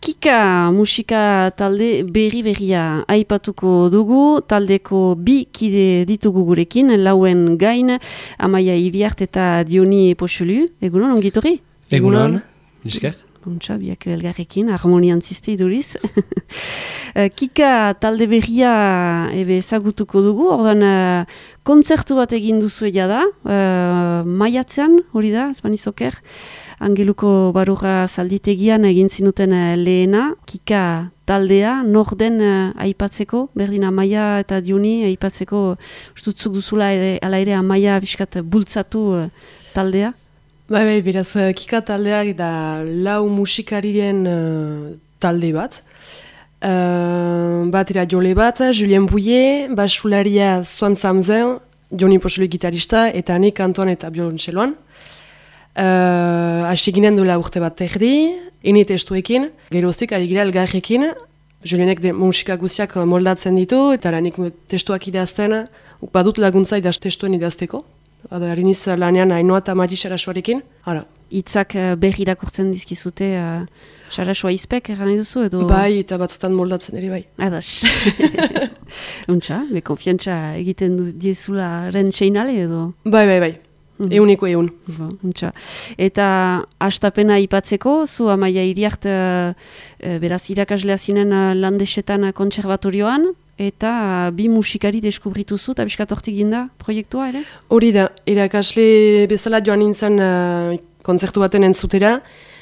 Kika musika talde berria aipatuko dugu, taldeko bi kide ditugu gurekin, lauen gain, Amaia Iriart eta Dioni Poxelu. Egunon, ongitorri? Egunon, nisker. Bontxa, biak elgarrekin, harmonian ziste iduriz. Kika talde berria ezagutuko dugu, ordan kontzertu bat egin duzu da, maiatzean, hori da, Espanizoker, Angeluko Barura zalditegian egin zinuten lehena, Kika taldea, norden aipatzeko, berdin Amaia eta Dioni aipatzeko, ustutzuk duzula ala ere Amaia biskat bultzatu taldea? Bai, beraz, Kika taldeak da lau musikariren talde bat. Batera jole bat, Julien Bouillet, basularia Swan Samzel, Dioni Poxelu gitarista, eta nik kantoan eta biolontxeloan. Hasi ginen duela urte bat erdi, ene testuekin, geroztik ari gira elgarrekin, Julienek musika guziak moldatzen ditu, eta nik testuak idazten, badut laguntza testuen idazteko. Hariniz lanean Ainoa eta Mati Sarasuarekin. Itzak berri irakurtzen dizkizute Sarasua izpek erran duzu edo? Bai, eta batzutan moldatzen ere bai. Adas. Untxa, konfiantza egiten diezula ren seinale edo? Bai. Euneko eun. Untxa. Eta hastapena ipatzeko, zu Amaia Iriart beraz irakaslea zinen Landesetan kontserbatorioan, eta bi musikari deskubrituzu, eta biskat hortik ginda proiektua, ere? Hori da, irakasle bezala joan nintzen kontzertu baten entzutera,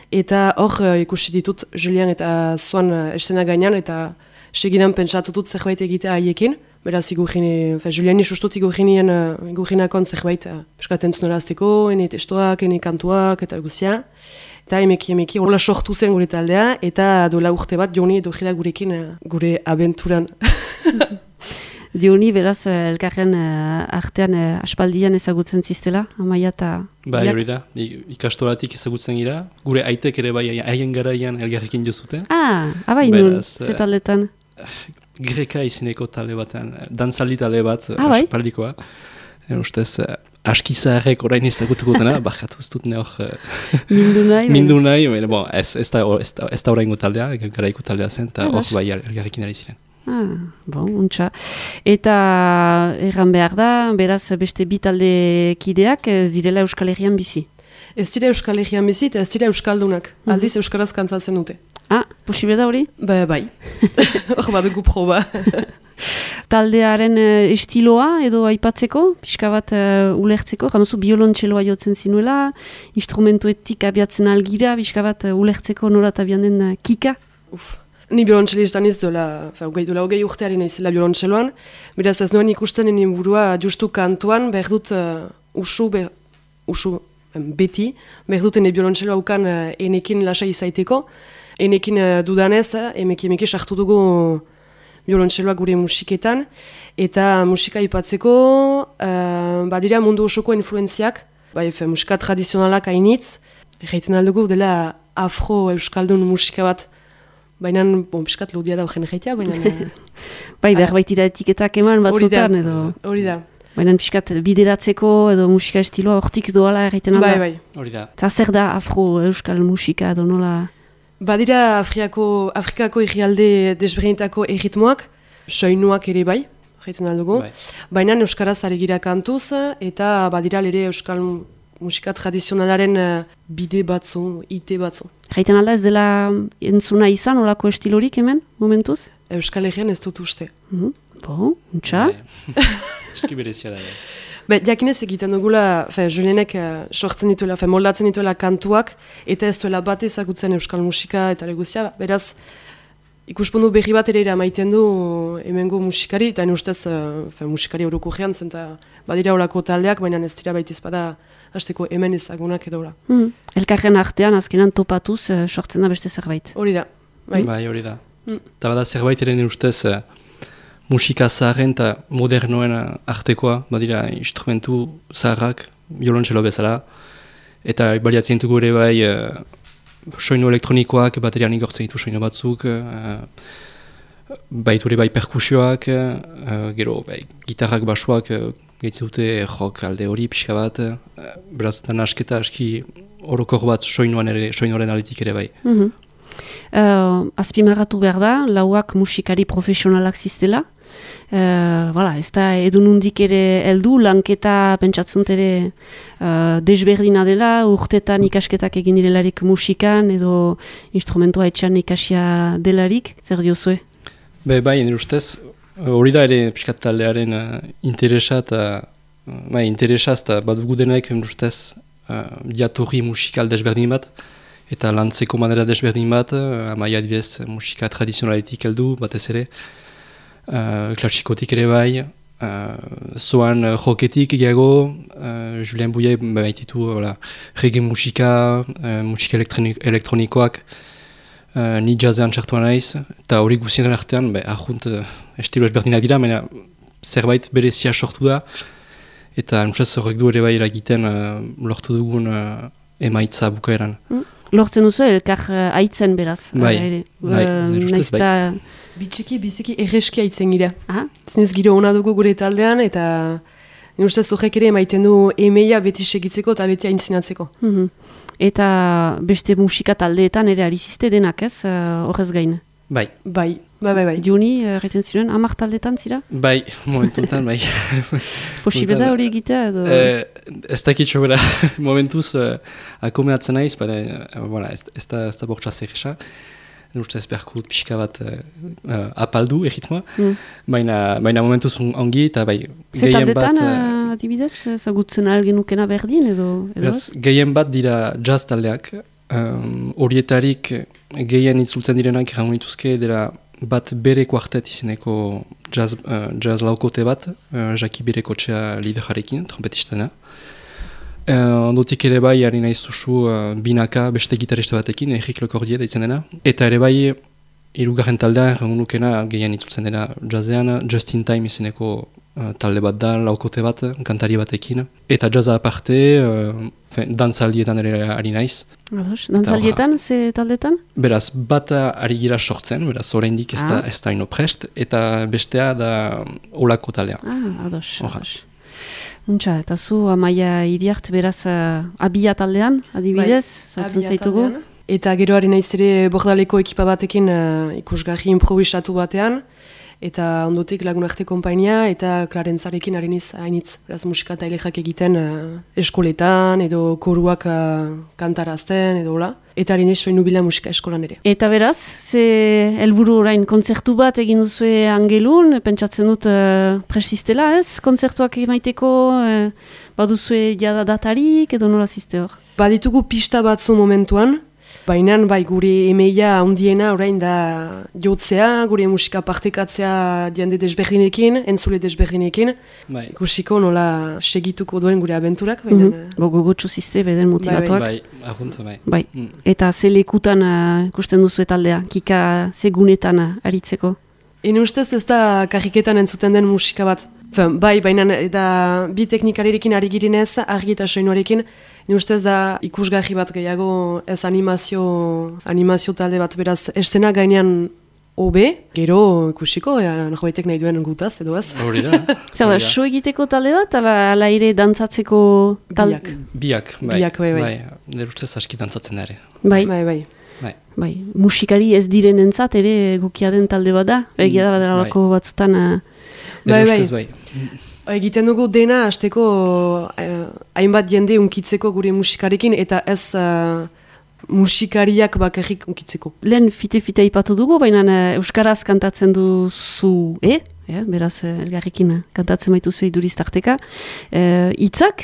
eta hor ikusi ditut Julian eta Swan estena gainean, eta segidan pentsatutut zerbait egitea haiekin, beraz Juliani sustut igurrinakon zerbait biskat entzunera azteko, ene testoak, ene kantuak, eta guzia. Eta emeki, hola sortu zen gure taldea, eta dola urte bat Dioni edo jira gurekin gure abenturan. Dioni, beraz, elkarren artean aspaldian ezagutzen ziztela, Amaia eta... Bai, hori da, ikastoratik ezagutzen gira, gure aitek ere bai haien garaian elgarrekin jozute. Abai nun, ze taldetan? Greka izeneko talde batean, dantzaldi talde bat, aspaldikoa. Ustez... Aski zaharrek orain ezagutuko dena, bakatu ez dut hor... Mindu nahi, ez da oraingo taldea, garaiko taldea zen, eta hor bai elgarrekin ari ziren. Untxa. Eta erran behar da, beraz beste bi talde kideak ez direla Euskal Herrian bizi? Ez dira Euskal Herrian bizi eta ez dira Euskaldunak, aldiz Euskaraz kantzatzen dute. Posible da hori? Bai. Hor badugu proba. Taldearen estiloa edo aipatzeko, pixka bat ulertzeko, januzu biolontxeloa jotzen zinuela, instrumentuetik abiatzen algira, pixka bat ulertzeko nola eta den Kika? Ni biolontxelistan ez dola hogei urteari nahizela biolontxeloan, beraz ez noen ikusten nien burua justu kantuan, behar dut beti, behar dut ene biolontxeloa ukan enekin lasai izaiteko, enekin dudanez, emeki sartu dugu biolontxeloa gure musiketan, eta musika ipatzeko badira mundu osoko influenziak, musika tradizionalak hainitz, erraiten aldugu dela afro-euskaldun musika bat, baina, piskat laudia da horren erraitea, baina... behar baitira etiketak eman batzutan edo... Hori da. Baina piskat bideratzeko edo musika estiloa hortik doala erraiten alda. Bai. Hori da. Eta zer da afro-euskal musika edo nola... Badira Afrikako herrialde desberdinetako erritmoak, soinuak ere bai, jaiten aldugu. Baina euskaraz ari gira kantuz, eta badira ere euskal musika tradizionalaren bide batzu, ite batzu. Jaiten alda ez dela entzuna izan, olako estilorik hemen, momentuz? Euskal Herrian ez dut uste. Untxa? Eski berezia da. Jakinez egiten dugula, Julienek sortzen dituela, moldatzen dituela kantuak, eta ez duela bat ezagutzen euskal musika eta leguzia. Beraz, ikuspundu berri bat ere maiten du hemengo musikari, eta ustez musikari horoko gehan zen, eta badira horako taldeak, baina ez dira baitiz bada hasteko hemen ezagunak edo. Elkarren artean azkenan topatuz sortzen da beste zerbait. Hori da. Bai, hori da. Eta bada zerbait eren ustez... musika zaharren eta modernoen artekoa, badira instrumentu zaharrak, biolontxelo bezala, eta baliatzen dugu ere bai soinu elektronikoak, baterian igortzen ditu soinu batzuk, baitu ere bai perkusioak, gero gitarrak basuak gehitzen dute rock alde hori pixka bat, beraz da nasketa aski orokor bat soinuaren aletik ere bai. Azpimarratu behar da, lauak musikari profesionalak ziztela. Ez da edunundik ere heldu, lanketa pentsatzen ere desberdina dela, urtetan ikasketak egin direlarik musikan edo instrumentua etxan ikasia delarik, zer diozue? Bai, nire ustez, hori da ere pixkat taldearen interesa eta bat dugu denaik nire ustez diatorri musikal desberdin bat, eta lantzeko manera desberdin bat, amaia adibidez musika tradizionaletik heldu, batez ere, klasikotik ere bai, zoan joketik gehiago, Julien Bouillet baititu reggae musika, musika elektronikoak, ni jazzean txartuan naiz, eta hori guzien artean, ahunt estilo ezberdinak dira, mena zerbait berezia sortu da, eta nusaz horrek du ere bai eragiten lortu dugun emaitza bukaeran. Lortzen duzu elkar aitzen beraz. Bai, ustez bai. Biziki erreski aitzen gira. Zinez giro hona dugu gure taldean, eta nire ustez horrek ere emaiten du emeia beti segitzeko eta beti aintzinatzeko. Eta beste musika taldeetan ere arizizte denak ez, horrez gain? Bai. Juni, erreten ziren, 10 taldeetan zira? Bai, momentuntan bai. Posible da hori egitea edo? Ez dakitxo bera, momentuz akomeatzen naiz, ez da bortza zerresa. Uste ez beharko dut pixka bat apaldu erritmoa, baina momentuz ongi eta bai gehien bat... Zetaldetan adibidez, zagutzen algenukena berdin edo? Gehien bat dira jazz taldeak, horietarik gehien itzultzen direnak errango dituzke dela bat bere kuartet izeneko jazz laukote bat, Jaki Berekotxea lidejarekin, trompetistena. Ondotik ere bai, ari nahiz duzu binaka beste gitariste batekin, Enrik Lecordier daitzen dena. Eta ere bai, hirugarren taldea, errangunukena gehien itzultzen dena jazzean, Just in Time izeneko talde bat da, laukote bat, kantari batekin. Eta jazza aparte, dantzaldietan ere ari naiz. Dantzaldietan, ze taldetan? Beraz, bat ari gira sortzen, beraz, oraindik ez da ino prest, eta bestea da olako taldea. Ados. Untxa, eta zu Amaia Iriart beraz abia taldean, adibidez, zautzen zaitugu? Eta gero ari naiz ere bordaleko ekipa batekin ikusgarri improvisatu batean, eta ondotik Lagunarte konpainia eta Clarentzarekin ari niz hainitz. Beraz musika eta elejak egiten eskoletan edo koruak kantarazten edo hola. Eta ari niz soinu bila musika eskolan ere. Eta beraz, ze helburu orain kontzertu bat egin duzue Angelun, pentsatzen dut presistela ez, kontzertuak emaiteko, baduzue jada datarik edo nola ziste hor? Baditugu pista batzu momentuan, baina bai gure emeia handiena orain da jotzea, gure musika partekatzea diende desberdinekin, entzule desberdinekin. Ikusiko nola segituko duen gure abenturak. Gogotsu ziste beden motivatuak. Bai. Eta ze lekutan ikusten duzu taldea, kika ze gunetan aritzeko? Ene ustez ez da karriketan entzuten den musika bat. Bai, baina eta bi teknikarekin ari girinez, argi eta soinuarekin, nire ustez da ikusgarri bat gehiago ez animazio talde bat, beraz, eszena gainean hobe, gero ikusiko, norbaitek nahi duen gutaz, edo ez? Hori da. Zer da, so egiteko talde bat, ala ere dantzatzeko talde? Biak, bai. Nire ustez aski dantzatzen ere. Bai. Musikari ez diren entzat ere gukia den talde bat da, egia da badalako batzutan... Bai. Egiten dugu dena hasteko hainbat jende unkitzeko gure musikarekin eta ez musikariak bakarrik unkitzeko. Lehen fite ipatu dugu, baina euskaraz kantatzen duzu, beraz elgarrekin kantatzen baituzu iduriztarteka. Hitzak,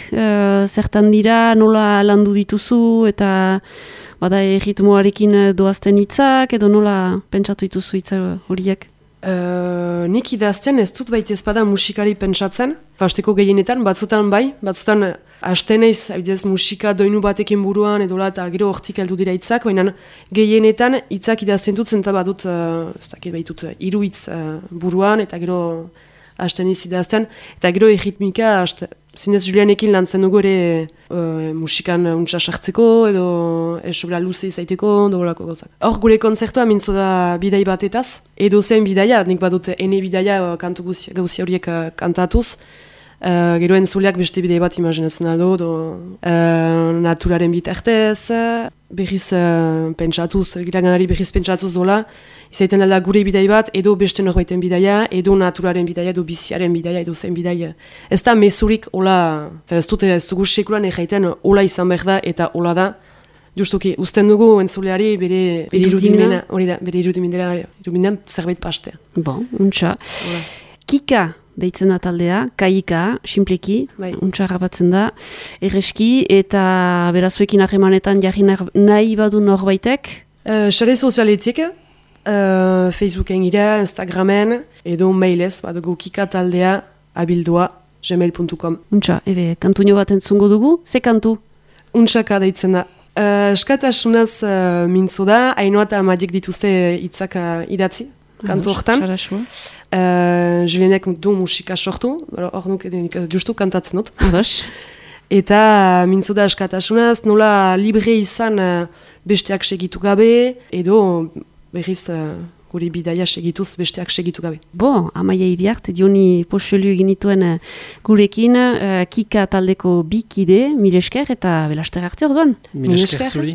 zertan dira nola landu dituzu eta bada erritmoarekin doazten hitzak edo nola pentsatu dituzu hitzak horiek? Nik idazten ez dut baita ezpada musikari pentsatzen, fasteko gehienetan, batzutan bai, batzutan hasteneiz, abidez musika doinu batekin buruan edola eta gero hortik heldu dira hitzak, baina gehienetan hitzak idazten dut zenta badut, ez dakit baitut, 3 hitz buruan eta gero hasteneiz idazten, eta gero erritmika, zinez Julianekin lantzen dugu ere musikan untsa sartzeko edo esobra luze izaiteko dogolako gauzak. Hor gure kontzertua mintzo da bidai batetaz, edo zen bidaia, nik badut ene bidaia kantu gauzi horiek kantatuz, Gero entzuleak beste bidei bat imaginatzen aldo, naturaren bitartez, berriz pentsatuz, iraganari berriz pentsatuz dola, izaiten alda gure bidei bat, edo beste norbaiten bidaia, edo naturaren bidaia, edo biziaren bidaia, edo zen bidaia. Ez da mezurik hola, ez dugu sekulan erraiten hola izan behar da eta hola da. Justuki, uzten dugu entzuleari bere irudimena, hori da, bere irudimenean zerbait pastea. Bon, untxa. Kika deitzen da taldea, kaika, simpleki, untxa harrapatzen da, erreski, eta berazuekin harremanetan jarri nahi badu norbaitek? Sare sozialetik, Facebooken gira, Instagramen, edo mailez, badugu kikataldea abildua gmail.com. Untxa, kantuño bat entzungo dugu, ze kantu? Untxaka deitzen da. Eskatasunaz mintzo da, hainoa eta magiek dituzte hitzak idatzi, kantu hortan. Julienek du musika sortu, hor nuk justu kantatzen dut. Eta mintzo da eskatasunaz, nola libre izan besteak segitu gabe, edo berriz guri bidaia segituz besteak segitu gabe. Amaia Iriart, Dioni Poxelu egin dituen gurekin, Kika taldeko bikide, mil esker eta belaster arte orduan. Mil esker zuri.